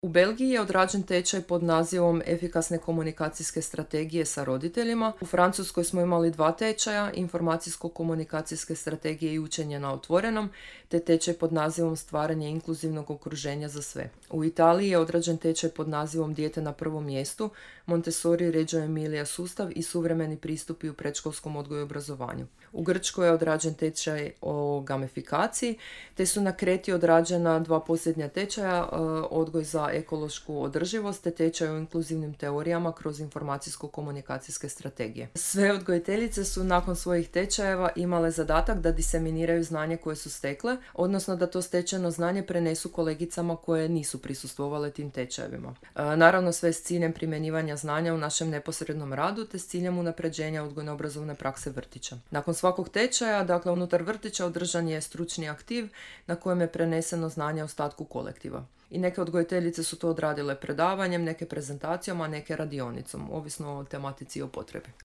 U Belgiji je odrađen tečaj pod nazivom Efikasne komunikacijske strategije sa roditeljima. U Francuskoj smo imali 2 tečaja, informacijsko-komunikacijske strategije i učenje na otvorenom, te tečaj pod nazivom Stvaranje inkluzivnog okruženja za sve. U Italiji je odrađen tečaj pod nazivom Dijete na prvom mjestu, Montessori, Reggio Emilia sustav i suvremeni pristupi u predškolskom odgoju i obrazovanju. U Grčkoj je odrađen tečaj o gamifikaciji, te su na Kreti odrađena 2 posljednja tečaja, odgoj za ekološku održivost te tečaj o inkluzivnim teorijama kroz informacijsko-komunikacijske strategije. Sve odgojiteljice su nakon svojih tečajeva imale zadatak da diseminiraju znanje koje su stekle, odnosno da to stečeno znanje prenesu kolegicama koje nisu prisustvovale tim tečajevima. Naravno sve s ciljem primjenjivanja znanja u našem neposrednom radu te s ciljem unapređenja odgojno-obrazovne prakse vrtića. Nakon svakog tečaja, dakle unutar vrtića održan je stručni aktiv na kojem je preneseno znanje ostatku kolektiva. I neke odgojiteljice su to odradile predavanjem, neke prezentacijom, a neke radionicom, ovisno o tematici i o potrebi.